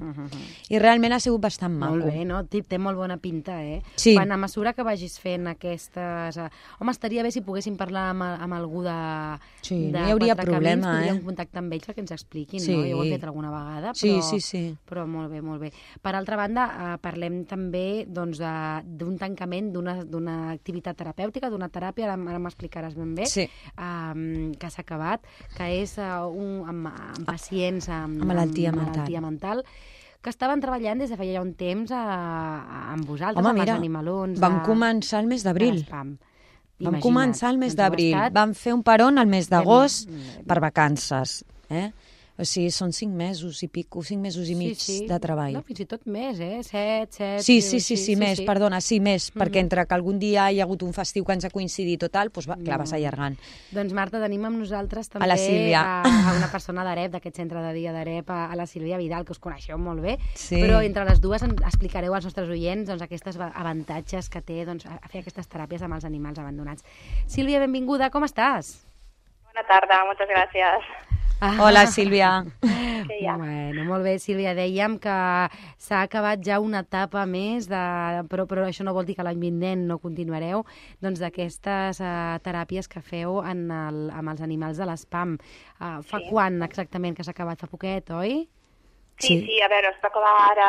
I realment ha sigut bastant maco. Molt bé, no? Té molt bona pinta, Sí. Quan a mesura que vagis fent aquestes... Home, estaria bé si poguéssim parlar amb algú de... Sí, no hi hauria problema, podríem contactar amb ells perquè ens expliquin, no? Jo ho he fet alguna vegada, però... Sí. Però molt bé, molt bé. Per altra banda, parlem també d'un tancament d'una activitat terapèutica, d'una teràpia, ara m'explicaràs ben bé, que s'ha acabat, que és amb pacients amb malaltia mental, que estaven treballant des de feia ja un temps amb vosaltres, amb els animalons. Vam començar el mes d'abril. Vam començar el mes d'abril. Vam fer un peron al mes d'agost per vacances. O sigui, són 5 mesos i pico, 5 mesos i mig de treball. No, fins i tot més, 7... Sí, més, perdona, més, perquè entre que algun dia hi ha hagut un festiu que ens ha coincidit o tal, doncs clar, vas allargant. Doncs Marta, tenim amb nosaltres també a una persona d'AREP, d'aquest centre de dia d'AREP, a la Sílvia Vidal, que us coneixeu molt bé, però entre les dues explicareu als nostres oients aquests avantatges que té a fer aquestes teràpies amb els animals abandonats. Sílvia, benvinguda, com estàs? Bona tarda, moltes gràcies. Hola, Sílvia. Bueno, molt bé, Sílvia. Dèiem que s'ha acabat ja una etapa més, però això no vol dir que l'any vinent no continuareu, d'aquestes teràpies que feu amb els animals de l'ESPAM. Fa quan exactament que s'ha acabat? Fa poquet, oi? Sí, a veure, es va acabar ara,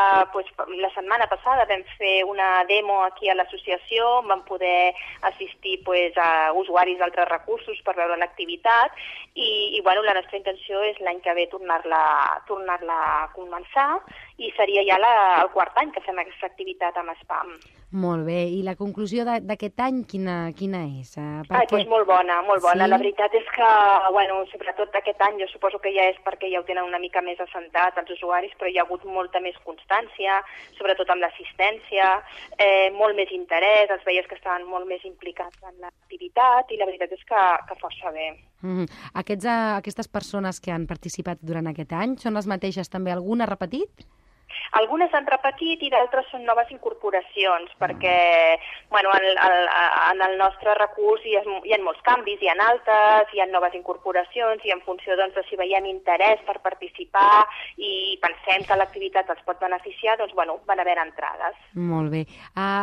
la setmana passada vam fer una demo aquí a l'associació, vam poder assistir a usuaris d'altres recursos per veure l'activitat i la nostra intenció és l'any que ve tornar-la a començar i seria ja el 4º any que fem aquesta activitat amb SPAM. Molt bé, i la conclusió d'aquest any quina és? Molt bona. Sí? La veritat és que, sobretot aquest any, jo suposo que ja és perquè ja ho tenen una mica més assentat els usuaris, però hi ha hagut molta més constància, sobretot amb l'assistència, molt més interès, els veies que estaven molt més implicats en l'activitat i la veritat és que força bé. Aquestes persones que han participat durant aquest any són les mateixes també? Alguna ha repetit? Algunes han repetit i d'altres són noves incorporacions, perquè en el nostre recurs hi ha molts canvis, hi ha altes, hi ha noves incorporacions i en funció de si veiem interès per participar i pensem que l'activitat els pot beneficiar, van haver entrades. Molt bé.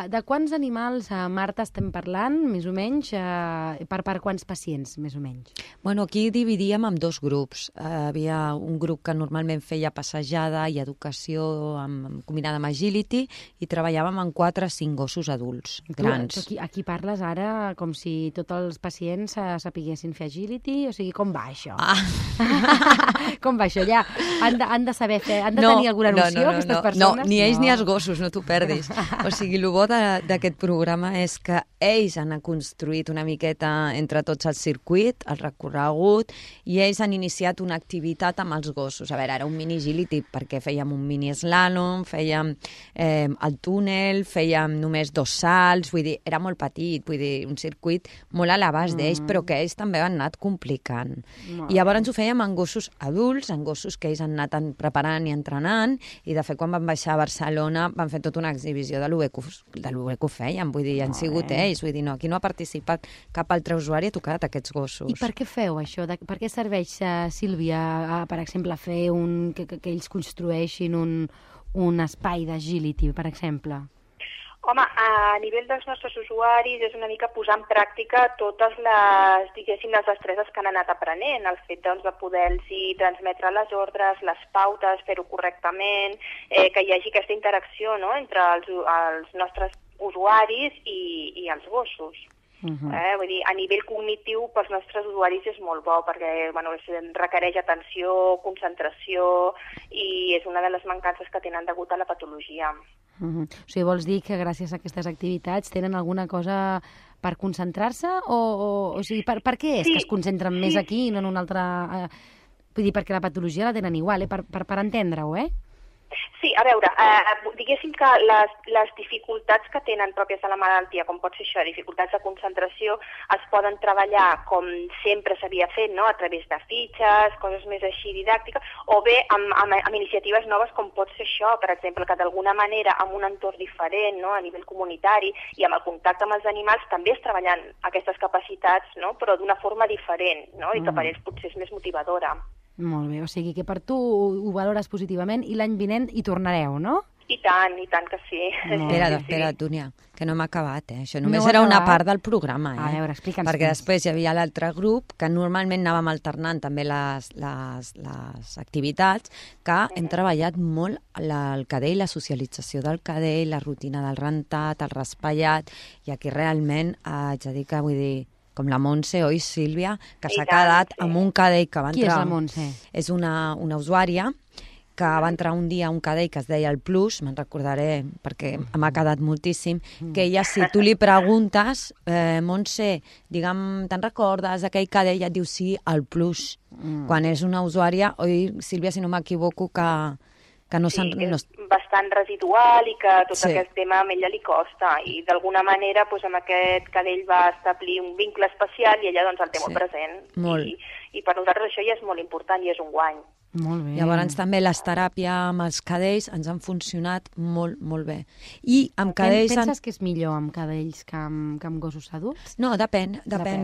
De quants animals, Marta, estem parlant, més o menys? Per quants pacients, més o menys? Bueno, aquí dividíem en dos grups. Havia un grup que normalment feia passejada i educació combinada amb agility i treballàvem amb 4 o 5 gossos adults, grans. Aquí parles ara com si tots els pacients sapiguessin fer agility? O sigui, com va això? Com va això? Ja han de saber fer, han de tenir alguna noció, aquestes persones? No, ni ells ni els gossos, no t'ho perdis. O sigui, el bo d'aquest programa és que ells han construït una miqueta entre tots el circuit, el recorregut, i ells han iniciat una activitat amb els gossos. A veure, era un mini agility perquè fèiem un mini slalom, fèiem el túnel, fèiem només 2 salts, vull dir, era molt petit, vull dir, un circuit molt a l'abast d'ells, però que ells també han anat complicant. I llavors ho fèiem amb gossos adults, amb gossos que ells han anat preparant i entrenant, i de fet quan van baixar a Barcelona van fer tota una exhibició de lo bé que ho fèiem, vull dir, han sigut ells, vull dir, no, aquí no ha participat cap altre usuari, ha tocat aquests gossos. I per què feu això? Per què serveix, Sílvia, per exemple, fer que ells construeixin un espai d'agility, per exemple? Home, a nivell dels nostres usuaris és una mica posar en pràctica totes les, diguéssim, les destreses que han anat aprenent, el fet de poder-los transmetre les ordres, les pautes, fer-ho correctament, que hi hagi aquesta interacció, no?, entre els nostres usuaris i els gossos. Vull dir, a nivell cognitiu pels nostres usuaris és molt bo perquè requereix atenció, concentració i és una de les mancances que tenen degut a la patologia. O sigui, vols dir que gràcies a aquestes activitats tenen alguna cosa per concentrar-se? O sigui, per què és que es concentren més aquí i no en una altra... Vull dir, perquè la patologia la tenen igual, per entendre-ho, Sí, a veure, diguéssim que les dificultats que tenen pròpies de la malaltia, com pot ser això, dificultats de concentració, es poden treballar com sempre s'havia fet, no?, a través de fitxes, coses més així didàctiques, o bé amb iniciatives noves com pot ser això, per exemple, que d'alguna manera amb un entorn diferent, no?, a nivell comunitari i amb el contacte amb els animals també es treballen aquestes capacitats, no?, però d'una forma diferent, no?, i que per ells potser és més motivadora. Molt bé, o sigui que per tu ho valores positivament i l'any vinent hi tornareu, no? I tant que sí. Espera, Túnia, que no m'ha acabat, Això només era una part del programa, A veure, explica'ns. Perquè després hi havia l'altre grup, que normalment anàvem alternant també les activitats, que hem treballat molt el cadell, la socialització del cadell, la rutina del rentat, el raspallat, i aquí realment haig de dir que, vull dir, com la Montse, oi, Sílvia, que s'ha quedat amb un cadell que va entrar... Qui és la Montse? És una usuària que va entrar un dia a un cadell que es deia el Plus, me'n recordaré perquè m'ha quedat moltíssim, que ella, si tu li preguntes, Montse, digue'm, te'n recordes d'aquell cadell? Et diu sí, el Plus. Quan és una usuària, oi, Sílvia, si no m'equivoco, que no és bastant residual i que tot aquest tema a ella li costa i d'alguna manera amb aquest cadell va establir un vincle especial i ella el té molt present. I per nosaltres això ja és molt important i és un guany. Molt bé. Llavors també les teràpies amb els cadells ens han funcionat molt, molt bé. I amb cadells... Penses que és millor amb cadells que amb gossos adults? No, depèn.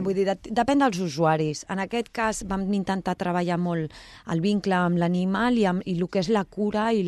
Vull dir, depèn dels usuaris. En aquest cas vam intentar treballar molt el vincle amb l'animal i el que és la cura i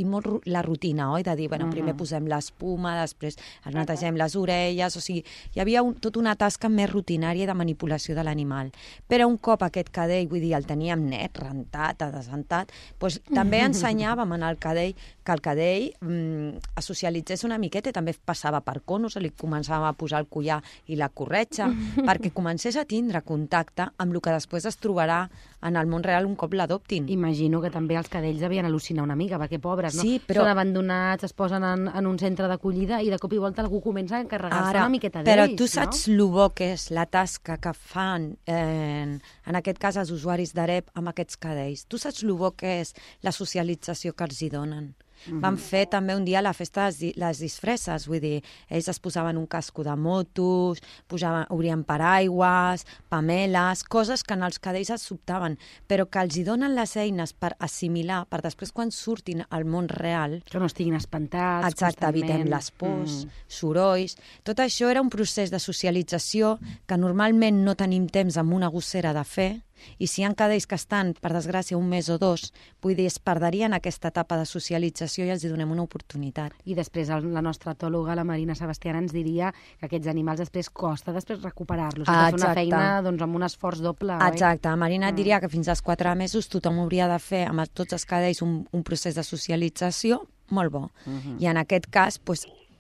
molt la rutina, oi? De dir, primer posem l'espuma, després netegem les orelles, o sigui, hi havia tota una tasca més rutinària de manipulació de l'animal. Però un cop aquest cadell, vull dir, el teníem net, rentat, desentat, doncs també ensenyàvem al cadell que el cadell es socialitzés una miqueta i també passava per conos, li començava a posar el collar i la corretja, perquè comencés a tindre contacte amb el que després es trobarà en el món real un cop l'adoptin. Imagino que també els cadells devien al·lucinar una mica, perquè pobres, no? Sí, però... Són abandonats, es posen en un centre d'acollida i de cop i volta algú comença a encarregar-se una miqueta d'ells, però tu saps el bo que és la tasca que fan, en aquest cas els usuaris d'AREP amb aquests cadells. Tu saps el bo que és la socialització que els hi donen. Van fer també un dia la festa de les disfresses, vull dir, ells es posaven un casco de motos, obrien paraigües, pameles, coses que en els cadells es sobtaven, però que els hi donen les eines per assimilar, per després quan surtin al món real... Que no estiguin espantats. Exacte, evitem les pors, sorolls... Tot això era un procés de socialització que normalment no tenim temps amb una gossera de fer, i si hi ha cadells que estan, per desgràcia, un mes o dos, vull dir, es perdrien aquesta etapa de socialització i els hi donem una oportunitat. I després la nostra etòloga, la Marina Sebastiana, ens diria que aquests animals després costa recuperar-los. És una feina amb un esforç doble. Exacte. Marina et diria que fins als 4 mesos tothom hauria de fer amb tots els cadells un procés de socialització molt bo. I en aquest cas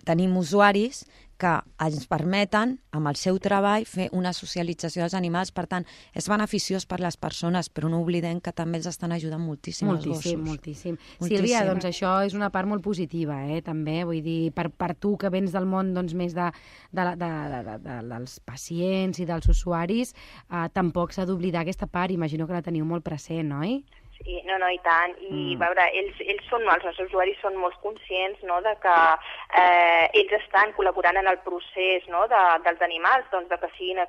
tenim usuaris que ens permeten, amb el seu treball, fer una socialització dels animals. Per tant, és beneficiós per les persones, però no oblidem que també els estan ajudant moltíssim els gossos. Moltíssim. Sílvia, doncs això és una part molt positiva, també. Vull dir, per tu que vens del món més dels pacients i dels usuaris, tampoc s'ha d'oblidar aquesta part. Imagino que la teniu molt present, oi? Sí, no, i tant. I veure, ells són, els nostres usuaris són molt conscients de que ells estan col·laborant en el procés dels animals, de que siguin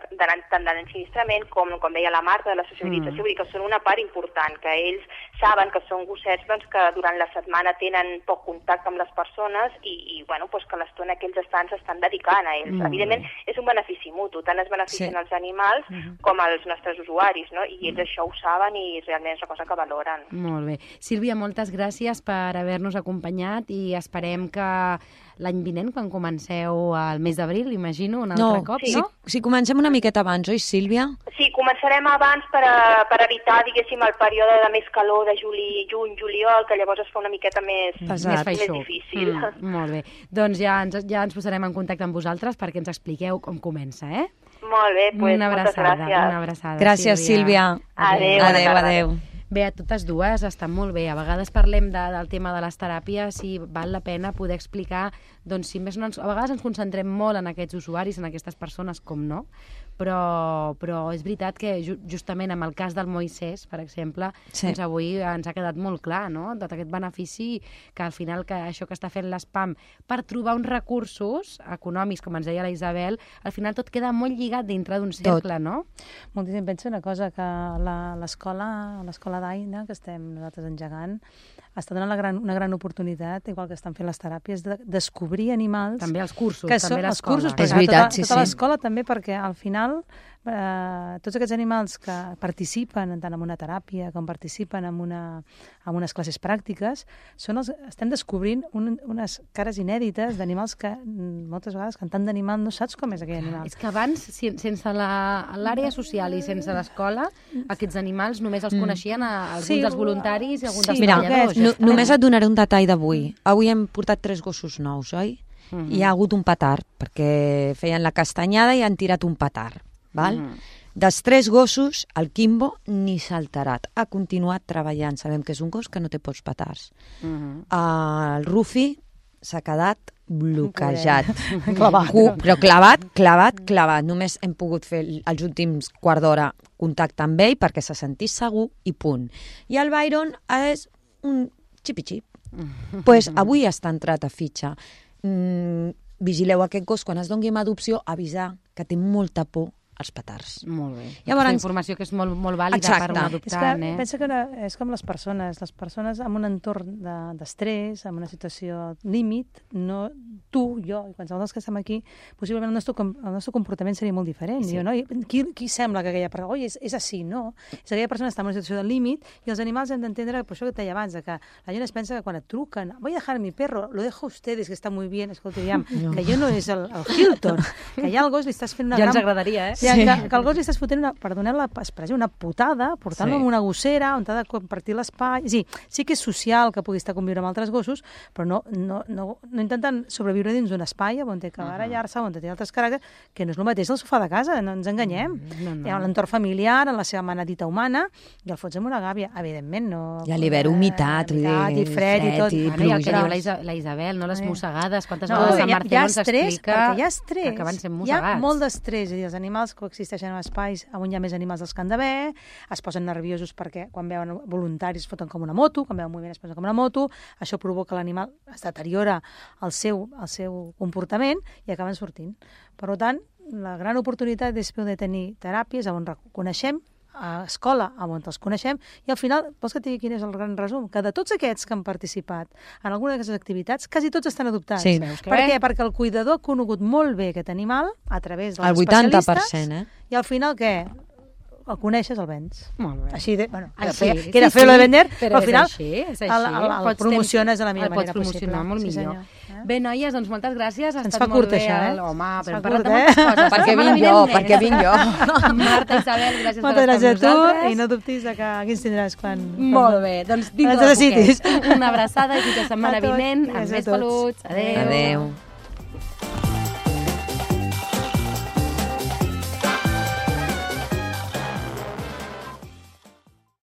tant de l'ensinistrament com deia la Marta, de la socialització, vull dir que són una part important, que ells saben que són gossets que durant la setmana tenen poc contacte amb les persones i que l'estona que ells s'estan dedicant a ells. Evidentment, és un benefici mutu, tant es beneficien els animals com els nostres usuaris, i ells això ho saben i realment és una cosa que valoren. Molt bé. Sílvia, moltes gràcies per haver-nos acompanyat i esperem que l'any vinent, quan comenceu al mes d'abril, imagino, un altre cop, no? Si comencem una miqueta abans, oi, Sílvia? Sí, començarem abans per evitar, diguéssim, el període de més calor de juny, juliol, que llavors es fa una miqueta més difícil. Molt bé. Doncs ja ens posarem en contacte amb vosaltres perquè ens expliqueu com comença, Molt bé, moltes gràcies. Una abraçada. Gràcies, Sílvia. Adéu. Bé, a totes dues estan molt bé. A vegades parlem del tema de les teràpies i val la pena poder explicar, doncs, si més no, a vegades ens concentrem molt en aquests usuaris, en aquestes persones, com no, però és veritat que justament amb el cas del Moisès, per exemple, doncs avui ens ha quedat molt clar, no?, tot aquest benefici que al final que això que està fent l'SPAM per trobar uns recursos econòmics, com ens deia la Isabel, al final tot queda molt lligat dintre d'un cercle, no? Moltíssim. Penso una cosa, que l'escola d'Aina, que estem nosaltres engegant, està donant una gran oportunitat, igual que estan fent les teràpies, de descobrir animals... També els cursos, també l'escola. És veritat, sí. Tota l'escola també, perquè al final tots aquests animals que participen tant en una teràpia com participen en unes classes pràctiques, estem descobrint unes cares inèdites d'animals que moltes vegades, cantant d'animal, no saps com és aquell animal. És que abans, sense l'àrea social i sense l'escola, aquests animals només els coneixien alguns dels voluntaris i alguns dels treballadors. Només et donaré un detall d'avui. Avui hem portat 3 gossos nous, oi? Hi ha hagut un petard, perquè feien la castanyada i han tirat un petard. Dels 3 gossos, el Quimbo ni s'ha alterat. Ha continuat treballant. Sabem que és un gos que no té pocs petards. El Rufi s'ha quedat bloquejat. Però clavat. Només hem pogut fer els últims quart d'hora contacte amb ell perquè se sentís segur i punt. I el Byron és un xipi-xip. Doncs avui està entrat a fitxa. Vigileu aquest gos, quan es doni en adopció, avisar que té molta por als petards. Molt bé. Llavors, informació que és molt vàlida per un adoptant. Pensa que és com les persones en un entorn d'estrès, en una situació límit, no tu, jo i qualsevol dels que estem aquí, possiblement el nostre comportament seria molt diferent. Sí. Qui sembla que aquella persona, és així, no? És aquella persona està en una situació de límit i els animals hem d'entendre, per això que et deia abans, que la gent es pensa que quan et truquen, voy a dejar mi perro, lo dejo a ustedes, que está muy bien, escolta, que jo no és el Hilton, que ja al gos li estàs fent una ja ens agradaria, que al gos li estàs fotent una putada, portant-lo amb una gossera, on t'ha de compartir l'espai. Sí que és social que pugui estar conviure amb altres gossos, però no intenten sobreviure dins d'un espai on té que barallar-se, on té altres caràcters, que no és el mateix del sofà de casa, no ens enganyem. Hi ha l'entorn familiar, en la seva manadita humana, i el fots amb una gàbia, evidentment, no... I a l'hivern humitat, i fred i tot. I el que diu la Isabel, no les mossegades, quantes vegades Sant Martí ens explica que hi ha estrès, que van ser mossegats. Hi ha molt d'estrès, i els animals coexisteixen en espais on hi ha més animals dels que han d'haver, es posen nerviosos perquè quan veuen voluntaris es foten com una moto, quan veuen moviment es posen com una moto, això provoca l'animal, es deteriora el seu comportament i acaben sortint. Per tant, la gran oportunitat és poder tenir teràpies on coneixem, a escola on els coneixem, i al final, vols que et digui quin és el gran resum? Que de tots aquests que han participat en alguna d'aquestes activitats, quasi tots estan adoptats. Sí. Per què? Perquè el cuidador ha conegut molt bé aquest animal a través dels El especialistes 80%, i al final què? El coneixes, el vens. Molt bé. Així de... Bueno, Així, que era feo lo de vender, però al final és el promociones de la millor manera possible. El pots promocionar molt millor. Senyor. Bé, noies, doncs moltes gràcies. Ha Ens estat fa curt, molt bé. això, Home, però hem fa parlat curt, de moltes coses. Perquè La vinc setmana jo, vinent perquè més. vinc jo. Marta, Isabel, gràcies Moltes per estar gràcies a amb tu nosaltres. i no dubtis de que aquí ens tindràs quan... Molt bé, doncs dintre Ens de necessitis. poquet. Una abraçada i fins la setmana A tots, vinent amb gràcies a més tots. peluts. Adéu. Adéu.